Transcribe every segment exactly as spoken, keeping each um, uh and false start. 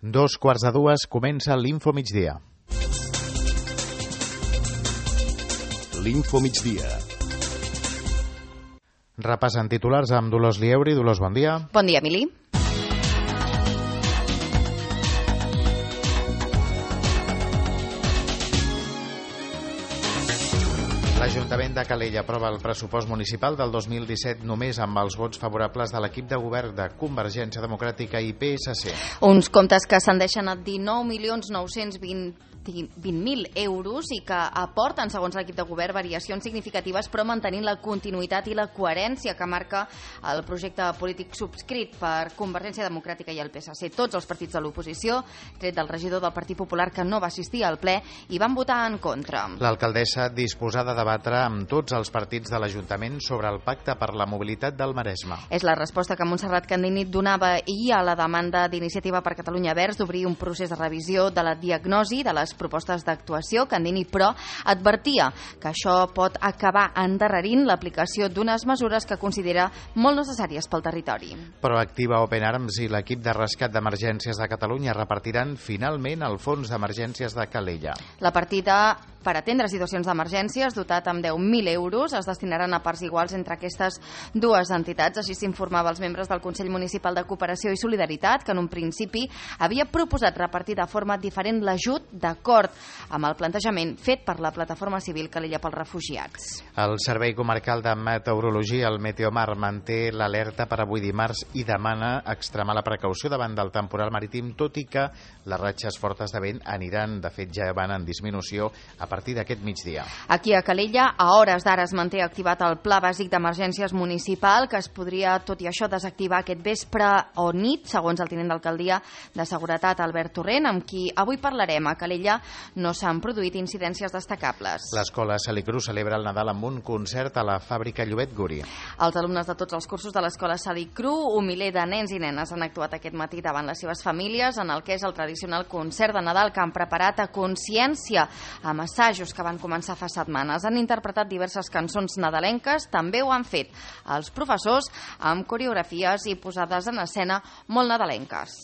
Dos quarts de dues comença l'Info Migdia. L'Info Migdia. Repassen titulars amb Dolors Lieuri. Dolors, bon dia. Bon dia, Emili. L'Ajuntament de Calella aprova el pressupost municipal del dos mil disset només amb els vots favorables de l'equip de govern de Convergència Democràtica i P S C. Uns comptes que ascendeixen a dinou milions nou-cents vint mil euros i que aporten, segons l'equip de govern, variacions significatives, però mantenint la continuïtat i la coherència que marca el projecte polític subscrit per Convergència Democràtica i el P S C. Tots els partits de l'oposició, tret del regidor del Partit Popular que no va assistir al ple, hi van votar en contra. L'alcaldessa disposada a debatre amb tots els partits de l'Ajuntament sobre el pacte per la mobilitat del Maresme. És la resposta que Montserrat Candini donava ahir a la demanda d'Iniciativa per Catalunya Verds d'obrir un procés de revisió de la diagnosi de les propostes d'actuació. Candini, però, advertia que això pot acabar endarrerint l'aplicació d'unes mesures que considera molt necessàries pel territori. Proactiva, Open Arms i l'equip de rescat d'emergències de Catalunya repartiran finalment el fons d'emergències de Calella. La partida per atendre situacions d'emergències, dotat amb deu mil euros, es destinaran a parts iguals entre aquestes dues entitats. Així s'informava als membres del Consell Municipal de Cooperació i Solidaritat, que en un principi havia proposat repartir de forma diferent l'ajut d'acord amb el plantejament fet per la Plataforma Civil Calella pels Refugiats. El Servei Comarcal de Meteorologia, el Meteomar, manté l'alerta per avui dimarts i demana extremar la precaució davant del temporal marítim, tot i que les ratxes fortes de vent aniran, de fet ja van en disminució a partir d'aquest migdia. Aquí a Calella, a hores d'ara es manté activat el Pla Bàsic d'Emergències Municipal, que es podria, tot i això, desactivar aquest vespre o nit, segons el tinent d'alcaldia de Seguretat, Albert Torrent, amb qui avui parlarem. A Calella no s'han produït incidències destacables. L'Escola Salicru celebra el Nadal amb un concert a la fàbrica Llobet Guri. Els alumnes de tots els cursos de l'Escola Salicru, un miler de nens i nenes, han actuat aquest matí davant les seves famílies en el que és el tradicional concert de Nadal que han preparat a consciència, amb assajos que van començar fa setmanes. Han interpretat diverses cançons nadalenques, també ho han fet els professors amb coreografies i posades en escena molt nadalenques.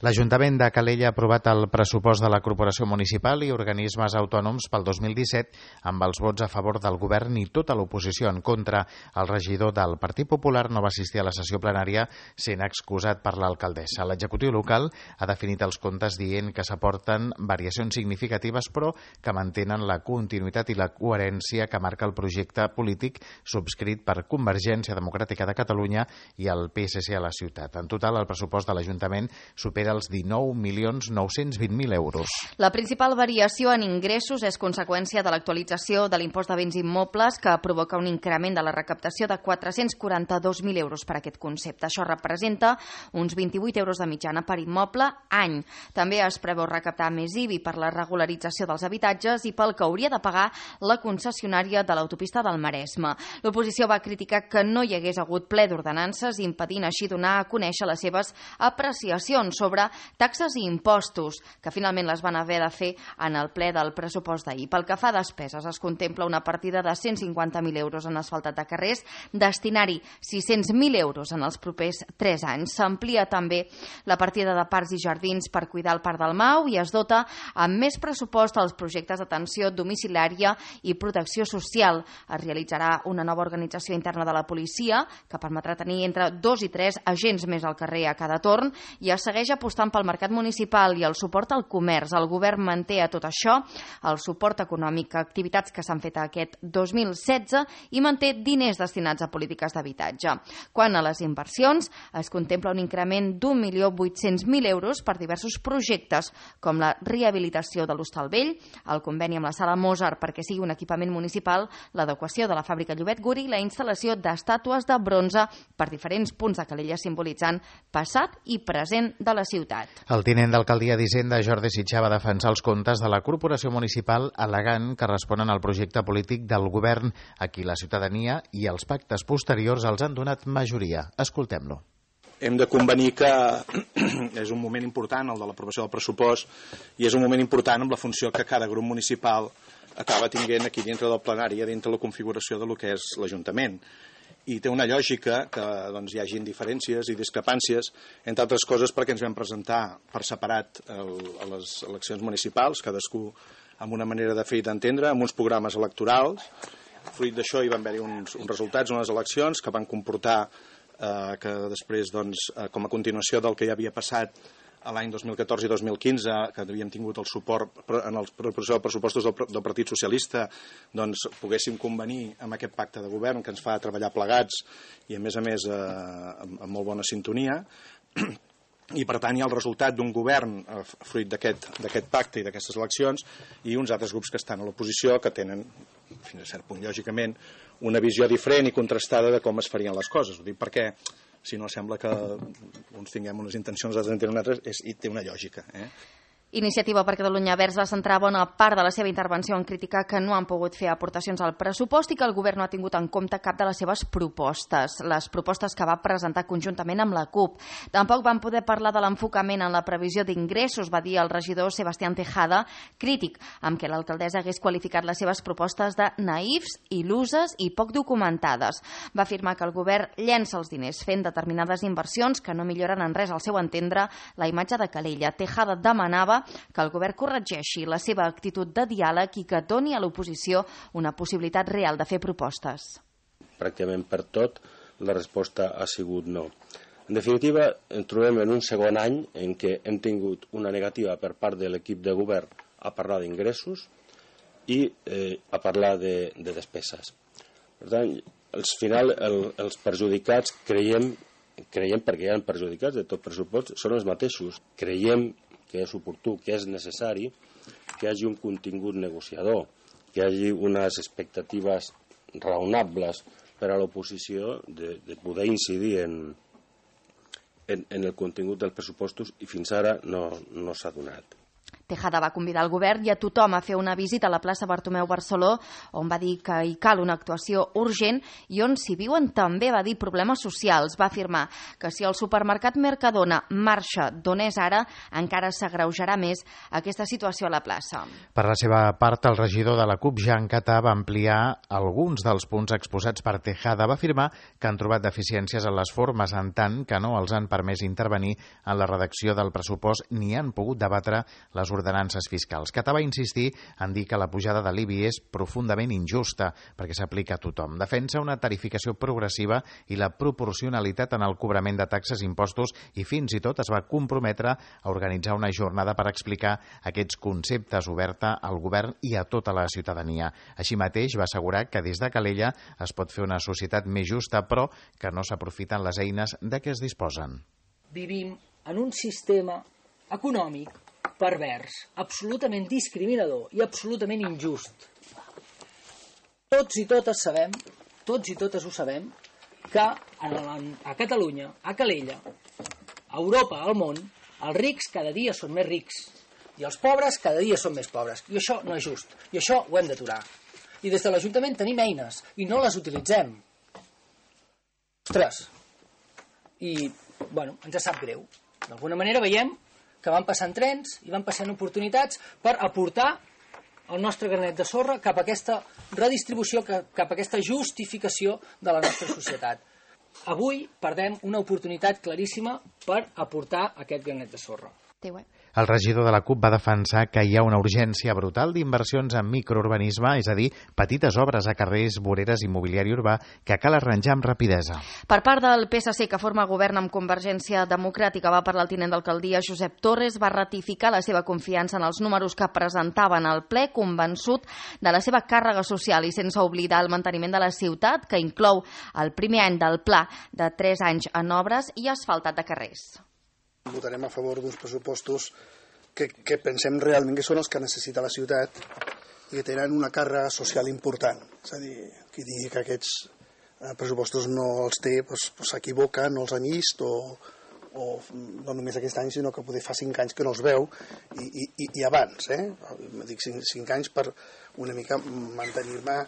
L'Ajuntament de Calella ha aprovat el pressupost de la Corporació Municipal i organismes autònoms pel dos mil disset amb els vots a favor del govern i tota l'oposició en contra. El regidor del Partit Popular no va assistir a la sessió plenària sent excusat per l'alcaldessa. L'executiu local ha definit els comptes dient que s'aporten variacions significatives però que mantenen la continuïtat i la coherència que marca el projecte polític subscrit per Convergència Democràtica de Catalunya i el P S C a la ciutat. En total, el pressupost de l'Ajuntament supera els dinou milions nou-cents vint mil euros. La principal variació en ingressos és conseqüència de l'actualització de l'impost de béns immobles que provoca un increment de la recaptació de quatre-cents quaranta-dos mil euros per aquest concepte. Això representa uns vint-i-vuit euros de mitjana per immoble any. També es preveu recaptar més I B I per la regularització dels habitatges i pel que hauria de pagar la concessionària de l'autopista del Maresme. L'oposició va criticar que no hi hagués hagut ple d'ordenances, impedint així donar a conèixer les seves apreciacions sobre taxes i impostos, que finalment les van haver de fer en el ple del pressupost d'ahir. Pel que fa a despeses, es contempla una partida de cent cinquanta mil euros en asfaltat de carrers, destinar-hi sis-cents mil euros en els propers tres anys. S'amplia també la partida de parcs i jardins per cuidar el Parc del Mau i es dota amb més pressupost als projectes d'atenció domiciliària i protecció social. Es realitzarà una nova organització interna de la policia que permetrà tenir entre dos i tres agents més al carrer a cada torn i es segueix apostant apostant pel mercat municipal i el suport al comerç. El govern manté a tot això el suport econòmic a activitats que s'han fet aquest dos mil setze i manté diners destinats a polítiques d'habitatge. Quant a les inversions, es contempla un increment d'un milió vuit-cents mil euros per diversos projectes, com la rehabilitació de l'Hostal Vell, el conveni amb la Sala Mozart perquè sigui un equipament municipal, l'adequació de la fàbrica Llobet Guri i la instal·lació d'estàtues de bronze per diferents punts de Calella simbolitzant passat i present de la ciutat. ciutat. El tinent d'alcaldia d'Hisenda, Jordi Sitjar, va defensar els comptes de la corporació municipal al·legant que responen al projecte polític del govern, a qui la ciutadania i els pactes posteriors els han donat majoria. Escoltem-lo. Hem de convenir que és un moment important, el de l'aprovació del pressupost, i és un moment important amb la funció que cada grup municipal acaba tinguent aquí dintre del plenari, dintre la configuració de lo que és l'Ajuntament. I té una lògica que doncs, hi hagin diferències i discrepàncies, entre altres coses perquè ens vam presentar per separat el, a les eleccions municipals, cadascú amb una manera de fer i d'entendre, amb uns programes electorals. Fruit d'això hi van haver uns, uns resultats, unes eleccions que van comportar eh, que després, doncs, eh, com a continuació del que ja havia passat a l'any dos mil catorze i dos mil quinze, que havíem tingut el suport en el pressupostos del, del Partit Socialista, doncs poguéssim convenir amb aquest pacte de govern que ens fa treballar plegats i, a més a més, eh, amb, amb molt bona sintonia. I, per tant, hi ha el resultat d'un govern eh, fruit d'aquest pacte i d'aquestes eleccions i uns altres grups que estan a l'oposició que tenen, fins a cert punt, lògicament, una visió diferent i contrastada de com es farien les coses. Ho dic perquè si no sembla que uns tinguem unes intencions, altres en tenen altres, és, i té una lògica. Eh? Iniciativa per Catalunya Verds va centrar bona part de la seva intervenció en criticar que no han pogut fer aportacions al pressupost i que el govern no ha tingut en compte cap de les seves propostes, les propostes que va presentar conjuntament amb la CUP. Tampoc van poder parlar de l'enfocament en la previsió d'ingressos, va dir el regidor Sebastián Tejada, crític amb què l'alcaldessa hagués qualificat les seves propostes de naïfs, il·luses i poc documentades. Va afirmar que el govern llença els diners fent determinades inversions que no milloren en res al seu entendre la imatge de Calella. Tejada demanava que el govern corregeixi la seva actitud de diàleg i que doni a l'oposició una possibilitat real de fer propostes. Pràcticament per tot la resposta ha sigut no. En definitiva, ens trobem en un segon any en què hem tingut una negativa per part de l'equip de govern a parlar d'ingressos i eh, a parlar de, de despeses. Per tant, al final el, els perjudicats creiem, creiem perquè hi ha perjudicats de tot pressupost, són els mateixos. Creiem que és oportú, que és necessari que hi hagi un contingut negociador, que hi hagi unes expectatives raonables per a l'oposició de, de poder incidir en, en, en el contingut dels pressupostos i fins ara no, no s'ha donat. Tejada va convidar el govern i a tothom a fer una visita a la plaça Bartomeu Barceló, on va dir que hi cal una actuació urgent i on s'hi viuen també, va dir, problemes socials. Va afirmar que si el supermercat Mercadona marxa d'on és ara, encara s'agreujarà més aquesta situació a la plaça. Per la seva part, el regidor de la CUP, Jean Catà, va ampliar alguns dels punts exposats per Tejada. Va afirmar que han trobat deficiències en les formes, en tant que no els han permès intervenir en la redacció del pressupost ni han pogut debatre les ordenances fiscals. Catà va insistir en dir que la pujada de l'I B I és profundament injusta perquè s'aplica a tothom. Defensa una tarificació progressiva i la proporcionalitat en el cobrament de taxes i impostos i fins i tot es va comprometre a organitzar una jornada per explicar aquests conceptes oberta al govern i a tota la ciutadania. Així mateix va assegurar que des de Calella es pot fer una societat més justa, però que no s'aprofiten les eines de què es disposen. Vivim en un sistema econòmic pervers, absolutament discriminador i absolutament injust. Tots i totes sabem, tots i totes ho sabem, que a Catalunya, a Calella, a Europa, al món, els rics cada dia són més rics i els pobres cada dia són més pobres. I això no és just, i això ho hem d'aturar. I des de l'Ajuntament tenim eines i no les utilitzem. Ostres! I, bueno, ens sap greu. D'alguna manera veiem que van passant trens i van passant oportunitats per aportar el nostre granet de sorra cap a aquesta redistribució, cap a aquesta justificació de la nostra societat. Avui perdem una oportunitat claríssima per aportar aquest granet de sorra. El regidor de la CUP va defensar que hi ha una urgència brutal d'inversions en microurbanisme, és a dir, petites obres a carrers, voreres i mobiliari urbà que cal arranjar amb rapidesa. Per part del P S C, que forma govern amb Convergència Democràtica, va parlar el tinent d'alcaldia Josep Torres, va ratificar la seva confiança en els números que presentaven al ple, convençut de la seva càrrega social i sense oblidar el manteniment de la ciutat, que inclou el primer any del pla de tres anys en obres i asfaltat de carrers. Votarem a favor d'uns pressupostos que, que pensem realment que són els que necessita la ciutat i que tenen una càrrega social important. És a dir, qui digui que aquests pressupostos no els té s'equivoca, no els han vist o, o no només aquest any, sinó que poder fa cinc anys que no es veu, i, i, i abans, eh? Dic cinc, cinc anys per una mica mantenir-me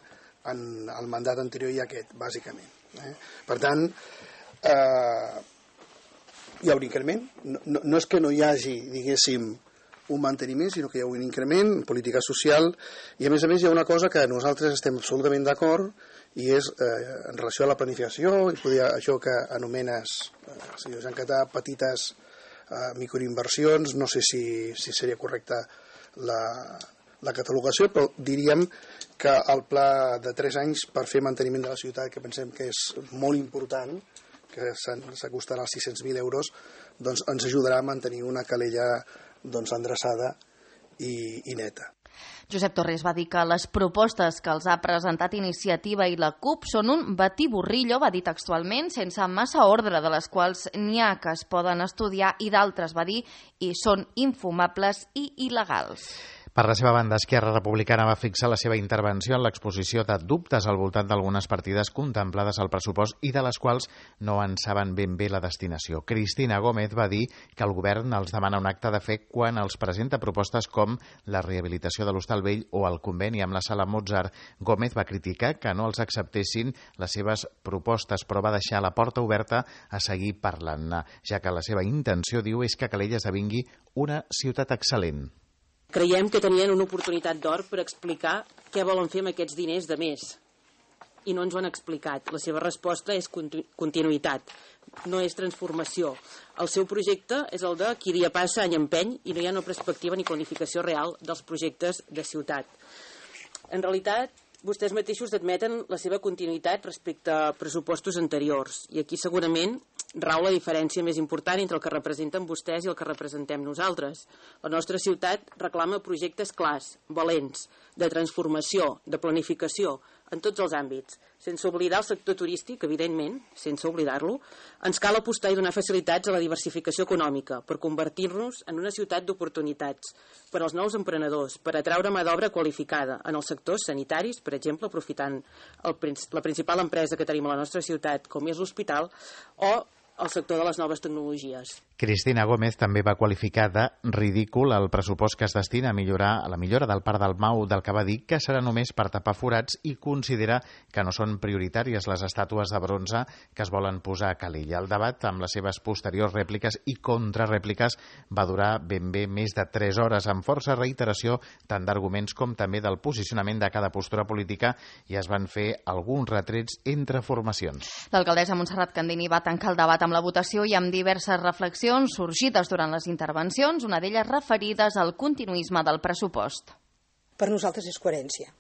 en el mandat anterior i aquest, bàsicament. Eh? Per tant, eh, hi ha un increment. No, no, no és que no hi hagi, diguéssim, un manteniment, sinó que hi ha un increment en política social, i a més a més hi ha una cosa que nosaltres estem absolutament d'acord, i és eh, en relació a la planificació, i poder, això que anomenes, eh, senyor Jean Catà, petites eh, microinversions, no sé si, si seria correcta la, la catalogació, però diríem que el pla de tres anys per fer manteniment de la ciutat, que pensem que és molt important, que s'acostarà als sis-cents mil euros, doncs ens ajudarà a mantenir una calella doncs, endreçada i, i neta. Josep Torres va dir que les propostes que els ha presentat Iniciativa i la CUP són un batiburrillo, va dir textualment, sense massa ordre, de les quals n'hi ha que es poden estudiar i d'altres, va dir, i són infumables i il·legals. Per la seva banda, Esquerra Republicana va fixar la seva intervenció en l'exposició de dubtes al voltant d'algunes partides contemplades al pressupost i de les quals no en saben ben bé la destinació. Cristina Gómez va dir que el govern els demana un acte de fe quan els presenta propostes com la rehabilitació de l'Hostal Vell o el conveni amb la Sala Mozart. Gómez va criticar que no els acceptessin les seves propostes, però va deixar la porta oberta a seguir parlant-ne, ja que la seva intenció, diu, és que Calella esdevingui una ciutat excel·lent. Creiem que tenien una oportunitat d'or per explicar què volen fer amb aquests diners de més. I no ens ho han explicat. La seva resposta és continu continuïtat, no és transformació. El seu projecte és el de qui dia passa any empeny i no hi ha una perspectiva ni planificació real dels projectes de ciutat. En realitat, vostès mateixos admeten la seva continuïtat respecte a pressupostos anteriors. I aquí segurament rau la diferència més important entre el que representen vostès i el que representem nosaltres. La nostra ciutat reclama projectes clars, valents, de transformació, de planificació, en tots els àmbits. Sense oblidar el sector turístic, evidentment, sense oblidar-lo, ens cal apostar i donar facilitats a la diversificació econòmica per convertir-nos en una ciutat d'oportunitats per als nous emprenedors, per atraure mà d'obra qualificada en els sectors sanitaris, per exemple, aprofitant el, la principal empresa que tenim a la nostra ciutat, com és l'hospital, o el sector de les noves tecnologies. Cristina Gómez també va qualificar de ridícul el pressupost que es destina a millorar a la millora del Parc del Mau, del que va dir que serà només per tapar forats, i considera que no són prioritàries les estàtues de bronze que es volen posar a Calella. El debat, amb les seves posteriors rèpliques i contrarèpliques, va durar ben bé més de tres hores, amb força reiteració tant d'arguments com també del posicionament de cada postura política, i es van fer alguns retrets entre formacions. L'alcaldessa Montserrat Candini va tancar el debat amb la votació i amb diverses reflexions sorgides durant les intervencions, una d'elles referides al continuisme del pressupost. Per nosaltres és coherència.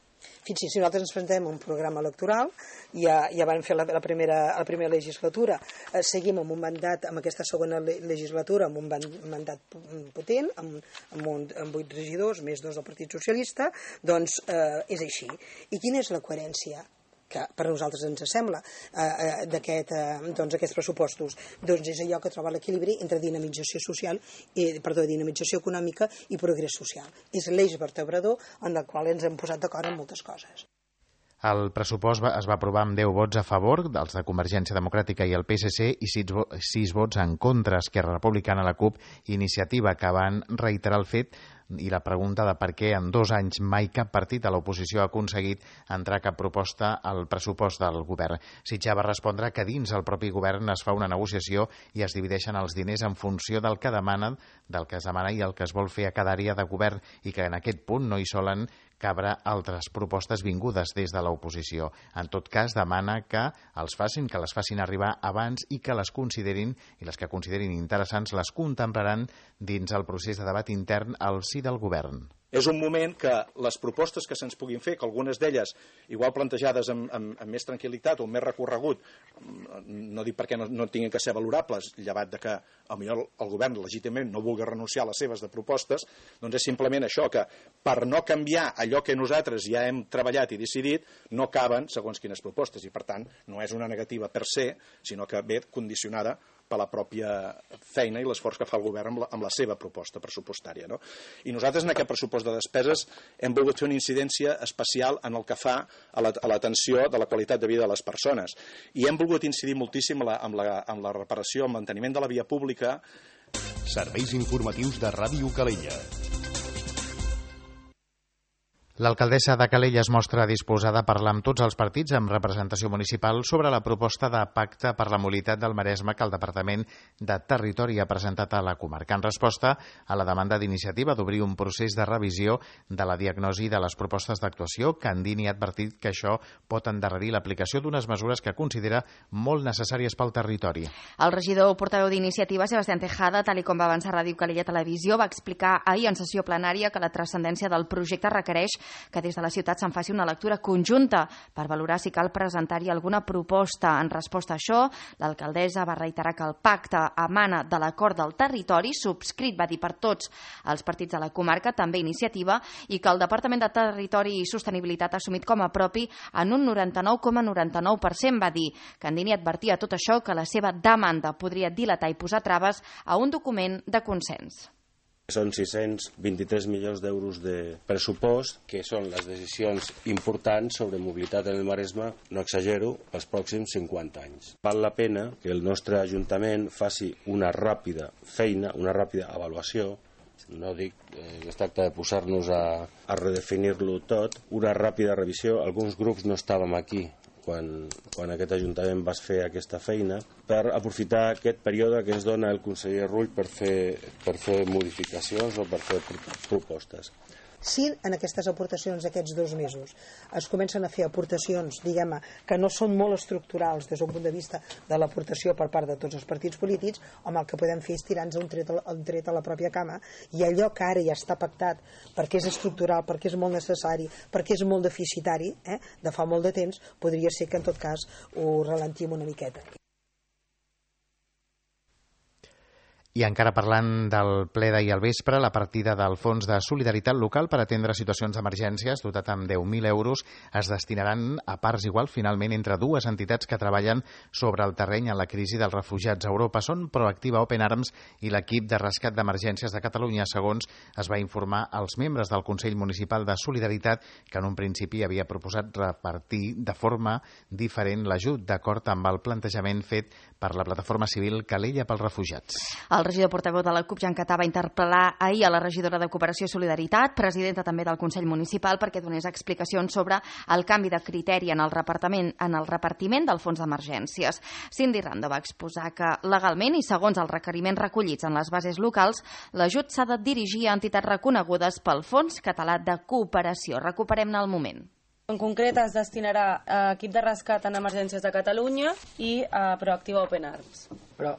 Fixi's, si nosaltres ens presentem un programa electoral, ja, ja vam fer la, la, primera, la primera legislatura, eh, seguim amb un mandat, amb aquesta segona legislatura, amb un mandat potent, amb, amb, un, amb vuit regidors, més dos del Partit Socialista, doncs eh, és així. I quina és la coherència que per nosaltres ens sembla eh, d'aquest, eh, doncs, aquests pressupostos? Doncs és allò que troba l'equilibri entre dinamització social, i, perdó, dinamització econòmica i progrés social. És l'eix vertebrador en el qual ens hem posat d'acord en moltes coses. El pressupost va, es va aprovar amb deu vots a favor, dels de Convergència Democràtica i el P S C, i sis vots en contra, Esquerra Republicana, la CUP i Iniciativa, que van reiterar el fet i la pregunta de per què en dos anys mai cap partit a l'oposició ha aconseguit entrar cap proposta al pressupost del govern. Sitjar va respondre que dins el propi govern es fa una negociació i es divideixen els diners en funció del que demanen, del que es demana i el que es vol fer a cada àrea de govern, i que en aquest punt no hi solen cabre altres propostes vingudes des de l'oposició. En tot cas, demana que els facin, que les facin arribar abans i que les considerin, i les que considerin interessants les contemplaran dins el procés de debat intern al si del govern. És un moment que les propostes que se'ns puguin fer, que algunes d'elles, igual plantejades amb, amb, amb més tranquil·litat o amb més recorregut, no dic perquè no, no tinguin que ser valorables, llevat de que potser el govern legítimament no vulgui renunciar a les seves de propostes, doncs és simplement això, que per no canviar allò que nosaltres ja hem treballat i decidit, no caben segons quines propostes, i per tant no és una negativa per se, sinó que ve condicionada per la pròpia feina i l'esforç que fa el govern amb la, amb la seva proposta pressupostària, no? I nosaltres en aquest pressupost de despeses hem volgut fer una incidència especial en el que fa a l'atenció de la qualitat de vida de les persones. I hem volgut incidir moltíssim en la, en la, en la reparació, en manteniment de la via pública. Serveis informatius de Ràdio Calella. L'alcaldessa de Calella es mostra disposada a parlar amb tots els partits amb representació municipal sobre la proposta de pacte per la mobilitat del Maresme que el Departament de Territori ha presentat a la comarca en resposta a la demanda d'iniciativa d'obrir un procés de revisió de la diagnosi de les propostes d'actuació. Candini ha advertit que això pot endarrerir l'aplicació d'unes mesures que considera molt necessàries pel territori. El regidor portaveu d'Iniciativa, Sebastián Tejada, tal i com va avançar Ràdio Calella Televisió, va explicar ahir en sessió plenària que la transcendència del projecte requereix que des de la ciutat se'n faci una lectura conjunta per valorar si cal presentar-hi alguna proposta. En resposta a això, l'alcaldessa va reiterar que el pacte emana de l'acord del territori, subscrit, va dir, per tots els partits de la comarca, també Iniciativa, i que el Departament de Territori i Sostenibilitat ha assumit com a propi en un noranta-nou coma noranta-nou per cent, va dir. Candini advertia a tot això que la seva demanda podria dilatar i posar traves a un document de consens. Són sis-cents vint-i-tres milions d'euros de pressupost, que són les decisions importants sobre mobilitat en el Maresme, no exagero, pels pròxims cinquanta anys. Val la pena que el nostre Ajuntament faci una ràpida feina, una ràpida avaluació, no dic eh, que es tracta de posar-nos a, a redefinir-lo tot, una ràpida revisió. Alguns grups no estàvem aquí quan, quan aquest Ajuntament va fer aquesta feina, per aprofitar aquest període que ens dona el conseller Rull per fer, per fer modificacions o per fer propostes. Si en aquestes aportacions d'aquests dos mesos es comencen a fer aportacions, diguem-ne, que no són molt estructurals des d'un punt de vista de l'aportació per part de tots els partits polítics, home, el que podem fer és tirar-nos un tret, un tret a la pròpia cama, i allò que ara ja està pactat perquè és estructural, perquè és molt necessari, perquè és molt deficitari, eh, de fa molt de temps, podria ser que en tot cas ho ralentim una miqueta. I encara parlant del ple d'ahir al vespre, la partida del Fons de Solidaritat Local per atendre situacions d'emergències, dotat amb deu mil euros, es destinaran a parts igual finalment entre dues entitats que treballen sobre el terreny en la crisi dels refugiats a Europa. Són Proactiva Open Arms i l'equip de rescat d'emergències de Catalunya, segons es va informar als membres del Consell Municipal de Solidaritat, que en un principi havia proposat repartir de forma diferent l'ajut, d'acord amb el plantejament fet per la plataforma civil Calella pels Refugiats. El regidor portaveu de la CUP, Jan Catà, va interpel·lar ahir a la regidora de Cooperació i Solidaritat, presidenta també del Consell Municipal, perquè donés explicacions sobre el canvi de criteri en el repartiment, en el repartiment del fons d'emergències. Cindy Rando va exposar que legalment i segons els requeriments recollits en les bases locals, l'ajut s'ha de dirigir a entitats reconegudes pel Fons Català de Cooperació. Recuperem-ne el moment. En concret es destinarà a equip de rescat en emergències de Catalunya i a Proactiva Open Arms. Però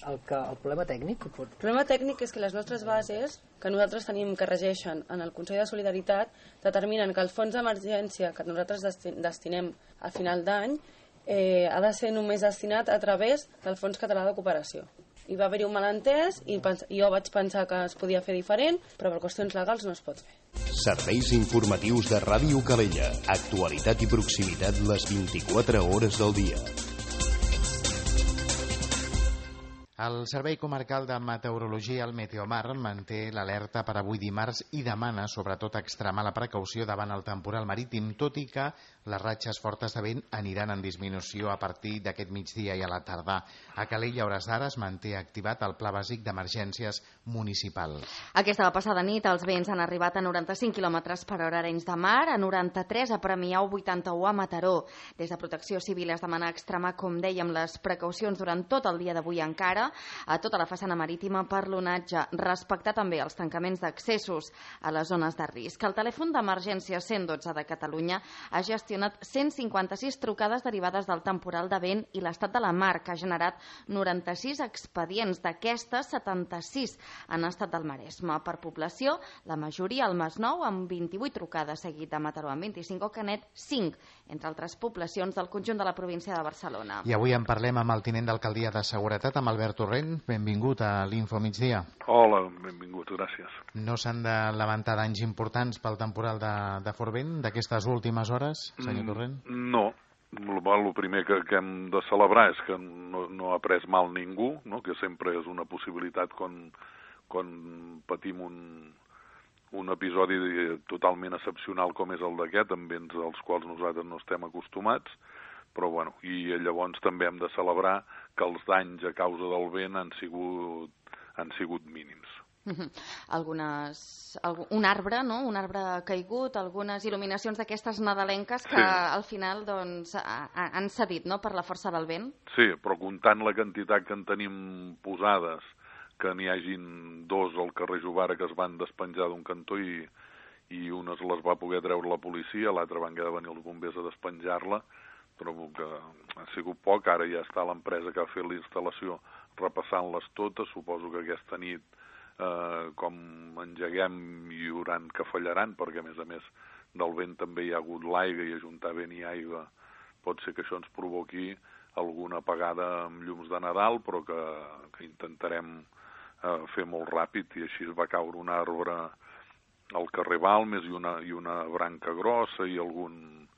el, que, el problema tècnic... Que pot... El problema tècnic és que les nostres bases, que nosaltres tenim que regeixen en el Consell de Solidaritat, determinen que el fons d'emergència que nosaltres destinem a final d'any eh, ha de ser només destinat a través del Fons Català de Cooperació. Hi va haver-hi un malentès i jo vaig pensar que es podia fer diferent, però per qüestions legals no es pot fer. Serveis informatius de Ràdio Calella. Actualitat i proximitat les vint-i-quatre hores del dia. El Servei Comarcal de Meteorologia, el Meteomar, manté l'alerta per avui dimarts i demana, sobretot, extremar la precaució davant el temporal marítim, tot i que les ratxes fortes de vent aniran en disminució a partir d'aquest migdia i a la tarda. A Calella, a hores d'ara, es manté activat el Pla Bàsic d'Emergències Municipal. Aquesta passada nit els vents han arribat a noranta-cinc quilòmetres per hora a Arenys de Mar, a noranta-tres a Premià o vuitanta-u a Mataró. Des de Protecció Civil es demana extremar, com dèiem, les precaucions durant tot el dia d'avui encara, a tota la façana marítima per l'onatge, respectar també els tancaments d'accessos a les zones de risc. El telèfon d'emergència cent dotze de Catalunya ha gestionat cent cinquanta-sis trucades derivades del temporal de vent i l'estat de la mar, que ha generat noranta-sis expedients. D'aquestes, setanta-sis han estat del Maresme. Per població, la majoria al Masnou, amb vint-i-vuit trucades, seguit de Mataró amb vint-i-cinc o Canet, cinc, entre altres poblacions del conjunt de la província de Barcelona. I avui en parlem amb el tinent d'alcaldia de Seguretat, amb Albert Torrent. Benvingut a l'Info Migdia. Hola, benvingut, gràcies. No s'han de lamentar danys importants pel temporal de, de fort vent d'aquestes últimes hores, senyor Torrent? Mm, no, El primer que, que hem de celebrar és que no, no ha pres mal ningú, no? Que sempre és una possibilitat quan, quan patim un, un episodi totalment excepcional com és el d'aquest, amb vents als quals nosaltres no estem acostumats, però bueno, i llavors també hem de celebrar que els danys a causa del vent han sigut, han sigut mínims. Algunes, un arbre, no? Un arbre caigut, algunes il·luminacions d'aquestes nadalenques que sí. Al final doncs, han cedit, no?, per la força del vent. Sí, però comptant la quantitat que en tenim posades, que n'hi hagin dos al carrer Jovara que es van despenjar d'un cantó i, i unes les va poder treure la policia, l'altra van haver de venir els bombers a despenjar-la, però que ha sigut poc. Ara ja està l'empresa que ha fet la instal·lació repassant-les totes. Suposo que aquesta nit Eh, com engeguem hi haurà que fallaran, perquè a més a més del vent també hi ha hagut l'aigua i ajuntar vent i aigua pot ser que això ens provoqui alguna apagada amb llums de Nadal, però que, que intentarem eh, fer molt ràpid, i així va caure un arbre al carrer Balmes i una, i una branca grossa i algun,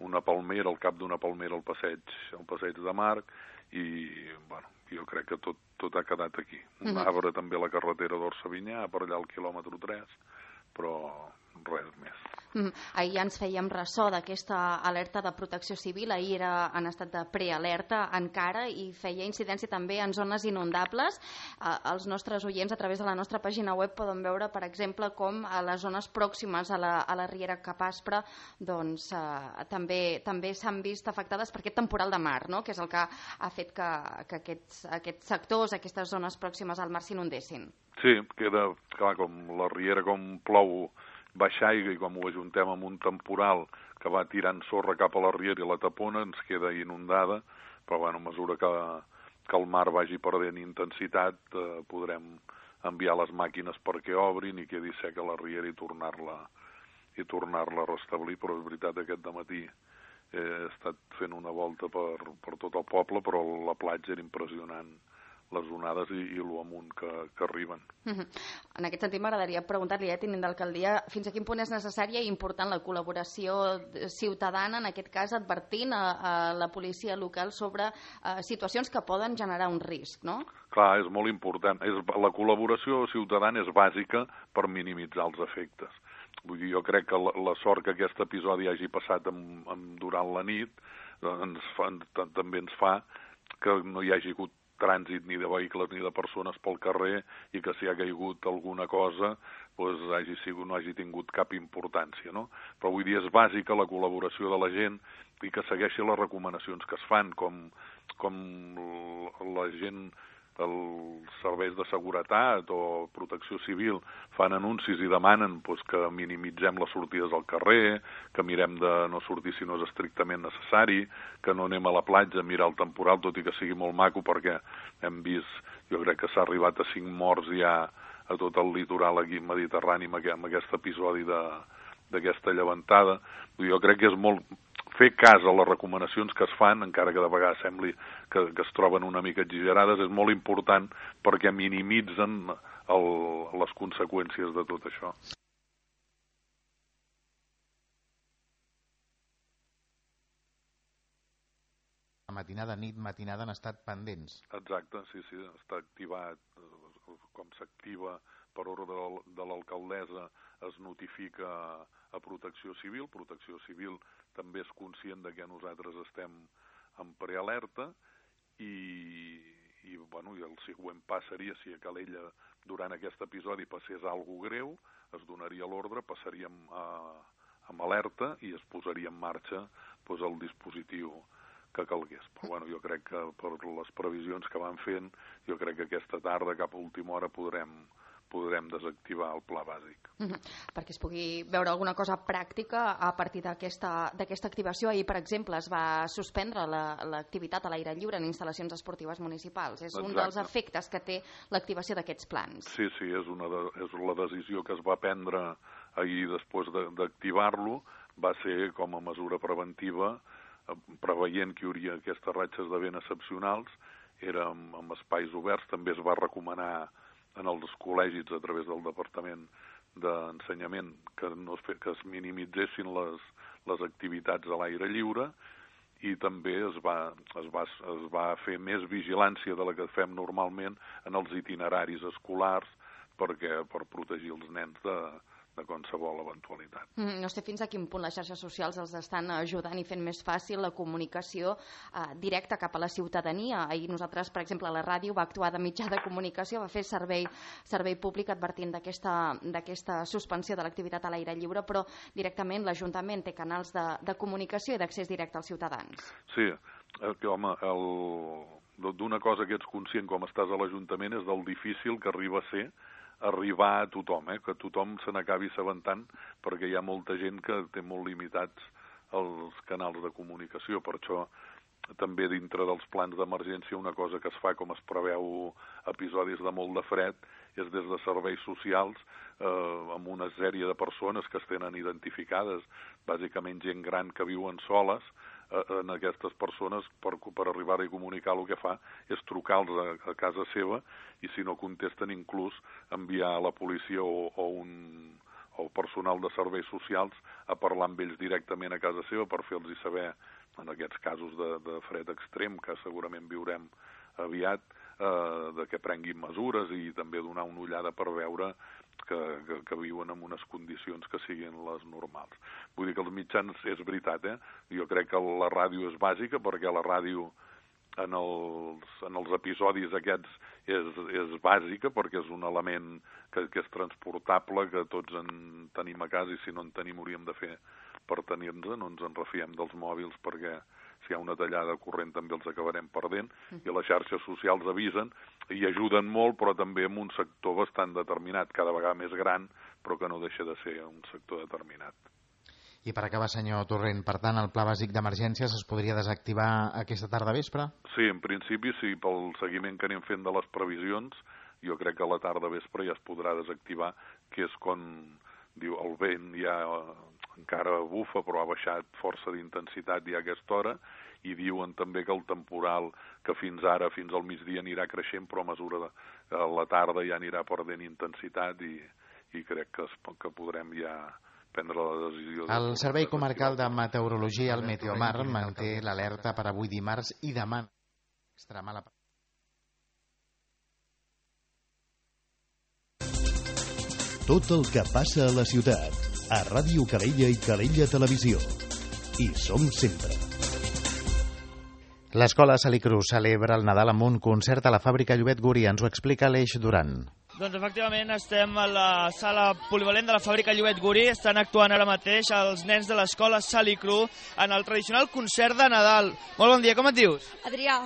una palmera, al cap d'una palmera al passeig, al passeig de Marc, i bueno, jo crec que tot, tot ha quedat aquí. Un uh-huh. arbre també a la carretera d'Orsavinyà, per allà al quilòmetre tres, però res més. Mm. Ahir ja ens fèiem ressò d'aquesta alerta de protecció civil, ahir era en estat de prealerta encara i feia incidència també en zones inundables. Eh, els nostres oients a través de la nostra pàgina web poden veure, per exemple, com a les zones pròximes a la, a la Riera Capaspre doncs, eh, també, també s'han vist afectades per aquest temporal de mar, no?, que és el que ha fet que, que aquests, aquests sectors, aquestes zones pròximes al mar s'inundessin. Sí, queda clar, com la Riera, com plou baixa aigua i com ho ajuntem amb un temporal que va tirant sorra cap a la Riera i la tapona, ens queda inundada, però bueno, a mesura que, que el mar vagi perdent intensitat eh, podrem enviar les màquines perquè obrin i quedi seca la Riera i tornar-la i tornar-la a restablir. Però és veritat, aquest dematí he estat fent una volta per, per tot el poble, però la platja era impressionant, les onades i, i l'amunt que, que arriben. Uh-huh. En aquest sentit m'agradaria preguntar-li, eh, tinent d'alcaldia, fins a quin punt és necessària i important la col·laboració ciutadana, en aquest cas advertint a, a la policia local sobre uh, situacions que poden generar un risc, no? Clar, és molt important. És, la col·laboració ciutadana és bàsica per minimitzar els efectes. Vull dir, jo crec que la, la sort que aquest episodi hagi passat amb, amb, durant la nit ens fa, també ens fa que no hi hagi hagut trànsit ni de vehicles ni de persones pel carrer i que si ha caigut alguna cosa doncs hagi sigut, no hagi tingut cap importància, no? Però vull dir, és bàsica la col·laboració de la gent i que segueixi les recomanacions que es fan, com, com la gent, els serveis de seguretat o protecció civil fan anuncis i demanen doncs, que minimitzem les sortides al carrer, que mirem de no sortir si no és estrictament necessari, que no anem a la platja a mirar el temporal, tot i que sigui molt maco, perquè hem vist, jo crec que s'ha arribat a cinc morts ja a tot el litoral aquí mediterrani amb aquest episodi d'aquesta llevantada. Jo crec que és molt fer cas a les recomanacions que es fan, encara que de vegades sembli que, que es troben una mica exagerades, és molt important perquè minimitzen el, les conseqüències de tot això. La matinada, nit, matinada han estat pendents. Exacte, sí, sí, està activat, com s'activa per ordre de l'alcaldessa, es notifica a Protecció Civil. Protecció Civil també és conscient de que nosaltres estem en prealerta i, i, bueno, i el següent pas seria, si a Calella durant aquest episodi passés alguna greu, es donaria l'ordre, passaríem a, amb alerta i es posaria en marxa doncs, el dispositiu que calgués. Però bueno, jo crec que per les previsions que van fent, jo crec que aquesta tarda, cap a última hora, podrem, podrem desactivar el pla bàsic. Mm-hmm. Perquè es pugui veure alguna cosa pràctica a partir d'aquesta d'aquesta activació. Ahir, per exemple, es va suspendre l'activitat la, a l'aire lliure en instal·lacions esportives municipals. És Exacte. Un dels efectes que té l'activació d'aquests plans. Sí, sí, és, una de, és la decisió que es va prendre ahir després d'activar-lo. Va ser com a mesura preventiva, preveient que hi hauria aquestes ratxes de vent excepcionals, era amb, amb espais oberts. També es va recomanar en els col·legis a través del Departament d'Ensenyament que, no es, fe, que es minimitzessin les, les activitats a l'aire lliure i també es va, es, va, es va fer més vigilància de la que fem normalment en els itineraris escolars perquè, per protegir els nens de, de qualsevol eventualitat. Mm, no sé fins a quin punt les xarxes socials els estan ajudant i fent més fàcil la comunicació eh, directa cap a la ciutadania. Ahir nosaltres, per exemple, la ràdio va actuar de mitjà de comunicació, va fer servei, servei públic advertint d'aquesta suspensió de l'activitat a l'aire lliure, però directament l'Ajuntament té canals de, de comunicació i d'accés directe als ciutadans. Sí, que, home, el... d'una cosa que ets conscient com estàs a l'Ajuntament és del difícil que arriba a ser arribar a tothom, eh? Que tothom se n'acabi assabentant, perquè hi ha molta gent que té molt limitats els canals de comunicació. Per això també dintre dels plans d'emergència una cosa que es fa, com es preveu episodis de molt de fred, és des de serveis socials eh, amb una sèrie de persones que es tenen identificades, bàsicament gent gran que viuen soles, en aquestes persones per, per arribar a comunicar el que fa és trucar-los a, a casa seva i si no contesten inclús enviar a la policia o, o un o personal de serveis socials a parlar amb ells directament a casa seva per fer-los saber en aquests casos de, de fred extrem que segurament viurem aviat eh, de que prenguin mesures i també donar una ullada per veure que, que, que viuen en unes condicions que siguin les normals. Vull dir que els mitjans, és veritat, eh? Jo crec que la ràdio és bàsica perquè la ràdio en els, en els episodis aquests és, és bàsica perquè és un element que, que és transportable, que tots en tenim a casa i si no en tenim hauríem de fer per tenir-nos, no ens en refiem dels mòbils perquè si hi ha una tallada de corrent també els acabarem perdent i les xarxes socials avisen i ajuden molt però també en un sector bastant determinat, cada vegada més gran però que no deixa de ser un sector determinat. I per acabar, senyor Torrent, per tant, el pla bàsic d'emergències es podria desactivar aquesta tarda vespre? Sí, en principi sí, pel seguiment que anem fent de les previsions, jo crec que a la tarda vespre ja es podrà desactivar, que és quan diu el vent ja encara bufa però ha baixat força d'intensitat ja a aquesta hora i diuen també que el temporal que fins ara, fins al migdia anirà creixent però a mesura de a la tarda ja anirà perdent intensitat i, i crec que, es, que podrem ja prendre la decisió. De el Servei Comarcal de Meteorologia, el Meteomar, manté l'alerta per avui dimarts i demà. Extremar la... Tot el que passa a la ciutat, a Ràdio Calella i Calella Televisió. Hi som sempre. L'escola Salicru celebra el Nadal amb un concert a la fàbrica Llobet Guri. Ens ho explica Aleix Duran. Doncs efectivament estem a la sala polivalent de la fàbrica Llobet Guri. Estan actuant ara mateix els nens de l'escola Salicru en el tradicional concert de Nadal. Molt bon dia, com et dius? Adrià.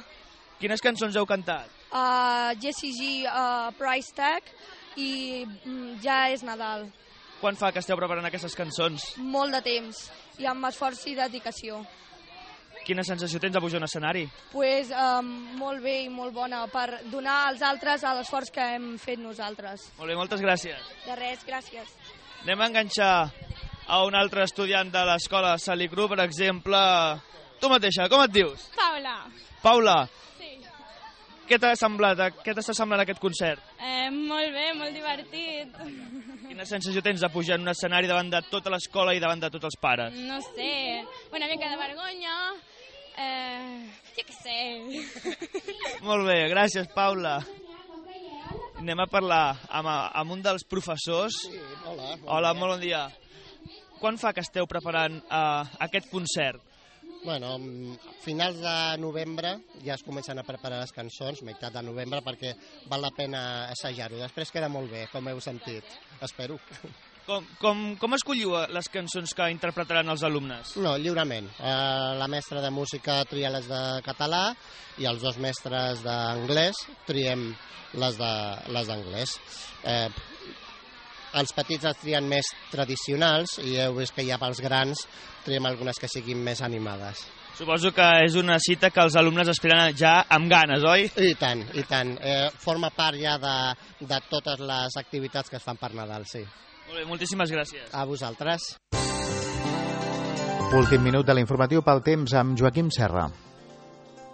Quines cançons heu cantat? Uh, Jessie G, uh, Price Tag i mm, ja és Nadal. Quan fa que esteu preparant aquestes cançons? Molt de temps i amb esforç i dedicació. Quina sensació tens de pujar a un escenari? Pues, um, molt bé i molt bona per donar als altres l'esforç que hem fet nosaltres. Molt bé, moltes gràcies. De res, gràcies. Anem a enganxar a un altre estudiant de l'escola Salicru, per exemple. Tu mateixa, com et dius? Paula. Paula. Sí. Què t'ha semblat? Què t'està semblant aquest concert? Eh, molt bé, molt divertit. Quina sensació tens de pujar en un escenari davant de tota l'escola i davant de tots els pares? No sé, una mica de vergonya, eh, jo què sé. Molt bé, gràcies, Paula. Anem a parlar amb, amb un dels professors. Sí, hola. Bon hola, dia. Molt bon dia. Quan fa que esteu preparant uh, aquest concert? Bueno, a finals de novembre ja es comencen a preparar les cançons, meitat de novembre, perquè val la pena assajar-ho. Després queda molt bé, com heu sentit. Espero. Com, com, com escolliu les cançons que interpretaran els alumnes? No, lliurement. Eh, la mestra de música tria les de català i els dos mestres d'anglès triem les de les d'anglès. Eh, els petits els trien més tradicionals i heu vist que ja pels grans triem algunes que siguin més animades. Suposo que és una cita que els alumnes esperen ja amb ganes, oi? I tant, i tant. Eh, forma part ja de, de totes les activitats que es fan per Nadal, sí. Molt bé, moltíssimes gràcies. A vosaltres. Últim minut de l'informatiu pel temps amb Joaquim Serra.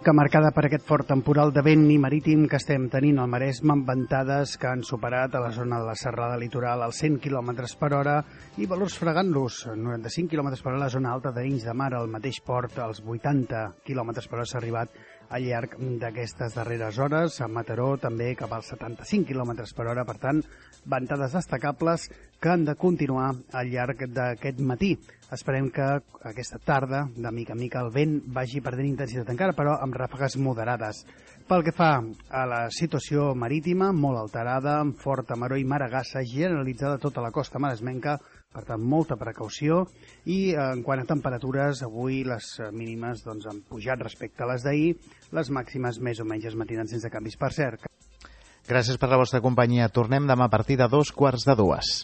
que marcada per aquest fort temporal de vent i marítim que estem tenint al Maresme, amb ventades que han superat a la zona de la serrada litoral als cent quilòmetres per hora i valors fregant-los, noranta-cinc quilòmetres per hora a la zona alta d'Arenys de Mar, al mateix port, als vuitanta quilòmetres per hora s'ha arribat al llarg d'aquestes darreres hores. A Mataró també cap als setanta-cinc quilòmetres per hora, per tant, ventades destacables que han de continuar al llarg d'aquest matí. Esperem que aquesta tarda, de mica en mica, el vent vagi perdent intensitat encara, però amb ràfegues moderades. Pel que fa a la situació marítima, molt alterada, amb forta maró i maragassa generalitzada a tota la costa maresmenca, per tant, molta precaució. I en quant a temperatures, avui les mínimes doncs, han pujat respecte a les d'ahir, les màximes més o menys es mantenen sense canvis. Per cert. Gràcies per la vostra companyia. Tornem demà a partir de dos quarts de dues.